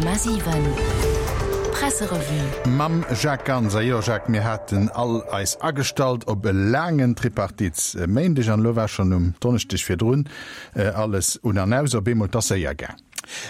100,7 Presserevue. Mam Jacques Ganser. Jo Jacques, mir haten all eis agestallt op e laangen Tripartitsméindeg an elo war schonn um Donneschdeg virdrun alles un an aus. Op eemol, 't ass séier gaang.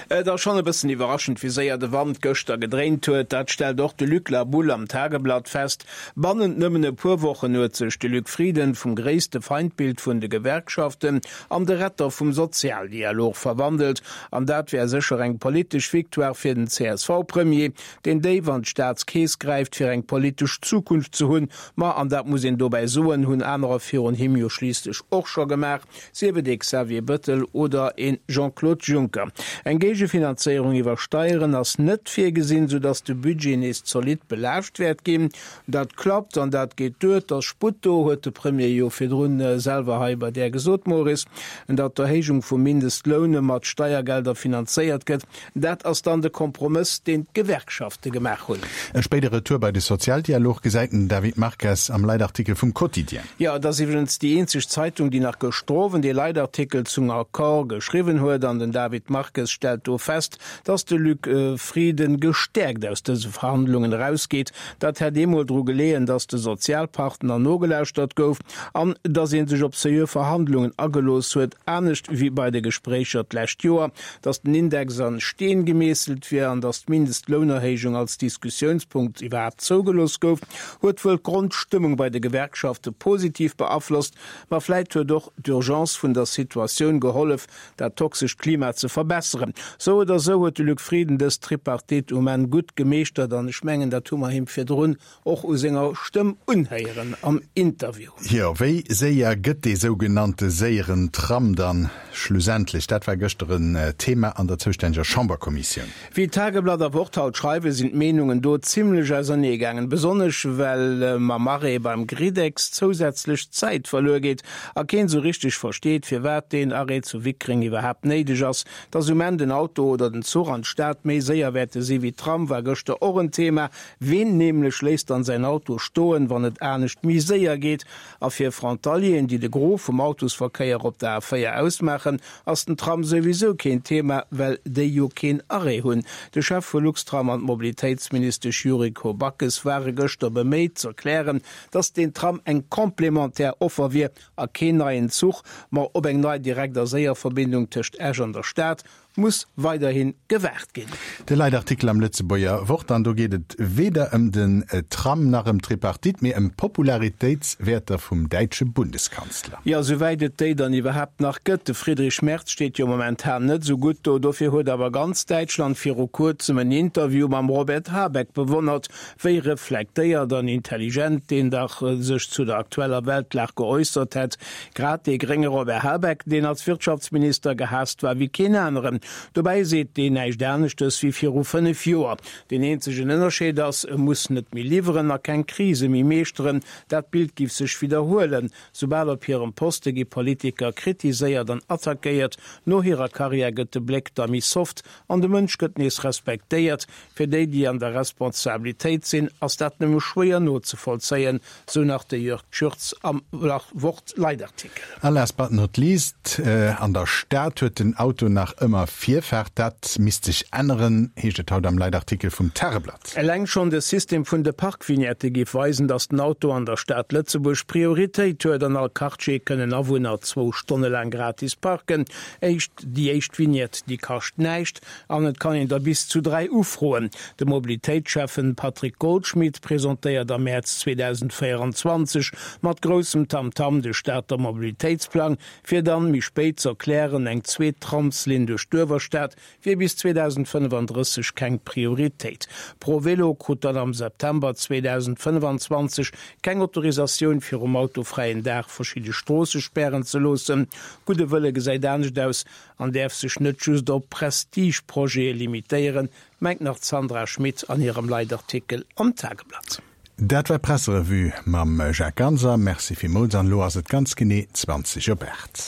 Et ass schonn e bëssen iwwerraschend, wéi séier de Wand gëschter gedréint huet. Dat stellt och de Luc Laboulle am Tageblatt fest. Bannent nëmmen e puer Wochen huet sech de Luc Frieden vum gréisste Feindbild vun de Gewerkschaften an de Retter vum Sozialdialog verwandelt. An dat wär sécher eng politesch Victoire fir den CSV-Premier, deen déif an d'Staatskeess gräift, fir eng politesch Zukunft ze hunn. Ma, an dat muss een dobäi soen, hunn anerer virun him jo schliisslech och scho gemaach, sief et ee Xavier Bëttel oder ee Jean-Claude Juncker. Eng Géigefinanzéierung iwwer Steieren ass net virgesinn, soudass de Budget nees zolidd belaascht wäert ginn. Dat klappt an dat geet duer. 't ass Sputt do, huet de Premier jo virdrun selwer hei bei där gesot, Maurice. Datt d'Erhéijung vum Mindestloun mat Steiergelder finanzéiert gëtt, dat ass dann de Kompromëss, deen d'Gewerkschafte gemaach hunn. E spéide Retour bei de Sozialdialog gesäit den David Marques am Leitartikel vum Quotidien. Jo, et ass iwwregens déi eenzeg Zeitung, déi nach gëschter Owend ee Leitartikel zum Accord geschriwwen huet. An den David Marques stellt do fest, Datt de Luc Frieden gestäerkt aus dëse Verhandlungen erausgeet, dat hätt eemol dru geleeën, datt de Sozialpartner nogelauschtert gouf an datt ee sech op seriö Verhandlungen agelooss huet, anescht wéi bei de Gespréicher d'lescht Joer, datt den Index an Steen gemeesselt wier an datt d'Mindestlounerhéijung als Diskussiounspunkt iwwerhaapt zougelooss gouf, huet wuel d'Grondstëmmung bei de Gewerkschafte positiv beaflosst. Ma vläit huet och d'Urgence vun der Situatioun gehollef, dat toxescht Klima ze verbesseren. Sou oder sou huet de Luc Frieden dës Tripartite um Enn gutt gemeeschtert an ech mengen, dat hu mer him virdrun och u senger Stëmm unhéieren am Interview. Jo, wéi séier gëtt dee sougenannte séieren Tram dann schlussendlech? Dat war gëschter en Thema an der zoustänneger Chamberkommissioun. Wéi Tageblatt a Wort haut schreiwen, sinn d'Meenungen do zimmlech ausernee gaangen, besonnesch well mam Arrêt beim Gridex zousätzlech Zäit verluer geet a keen sou richteg versteet, firwat deen Arrêt zu Wickreng iwwerhaapt néideg ass. Dass um Enn den Auto oder den Zuch an d'Stad méi séier wäerte si wéi d'Tram war gëschter och en Thema. Ween nämlech léisst dann säin Auto stoen, wann et anescht méi séier geet? A fir Frontalieren, déi de Gros vum Autosverkéier op der A4 ausmaachen, ass den Tram souwisou keen Thema, well déi jo keen Arrêt hunn. De Chef vu Luxtram an d'Mobilitéitsministesch Yuriko Backes ware gëschter beméit z'erklären, datt deen Tram eng complémentaire Offer wier a keen neien Zuch, ma op eng nei direkt a séier Verbindung tëscht Esch an der Stad muss weiderhi gewaart ginn. De Leitartikel am Lëtzebuerger Wort, an do geet et weder ëm den Tram nach ëm d'Tripartite, mee ëm d'Popularitéitswäerter vum däitsche Bundeskanzler. Jo, souwäit et déi dann iwwerhaapt nach gëtt. De Friedrich Merz steet jo momentan net esou gutt do. Dofir huet awer ganz Däitschland viru kuerzem en Interview mam Robert Habeck bewonnert. Wéi reflektéiert an intelligent deen dach sech zu der aktueller Weltlag geäussert hätt. Grad dee grénge Robert Habeck, deen als Wirtschaftsminister gehaasst war wéi keen aneren. Dobäi seet deen näischt aneschtes wéi viru 5 Joer. Deen eenzegen Ënnerscheed ass, e muss net méi liwweren a keng Krise méi meeschteren. Dat Bild giff sech widderhuelen. Soubal op hirem Poste gi Politiker kritiséiert an attackéiert. No hirer Karriär gëtt de Bléck da méi soft an de Mënsch gëtt nees respektéiert. Fir déi, déi an der Responsabilitéit sinn, ass dat nëmme schwéier nozevollzéien, sou nach de Jörg Tschürtz am Wort-Leitartikel. A last but not least, An der Stad huet den Auto nach ëmmer Virfaart. Dat misst sech änneren, heescht et haut am Leitartikel vum Tageblatt. Eleng schonn de System vun de Parkvignettë géif weisen, datt den Auto an der Stad Lëtzebuerg Prioritéit huet. An all Quartier kënnen Awunner zwou Stonne laang gratis parken. Éischt, déi éischt Vignette, déi kascht näischt. An et kann een der bis zu 3 ufroen. De Mobilitéitsschäffen Patrick Goldschmidt presentéiert am Mäerz 2024 mat groussem Tamtam de Stater Mobilitéitsplang, fir dann méi spéit z'erklären, eng zweet Tramslinn duerch d'Uewerstad wier bis 2035 keng Prioritéit. ProVelo krut dann am September 2025 keng Autorisatioun fir um autofräien Dag verschidde Stroosse spären ze loossen. Gudde Wëlle gesäit anescht aus, An däerf sech net just op Prestigeprojete limitéieren, mengt nach d'Sandra Schmit an hirem Leitartikel am Tageblatt. Dat war d'Presserevue mam Jacques Ganser. Merci villmools an elo ass et ganz genee 20 op 8.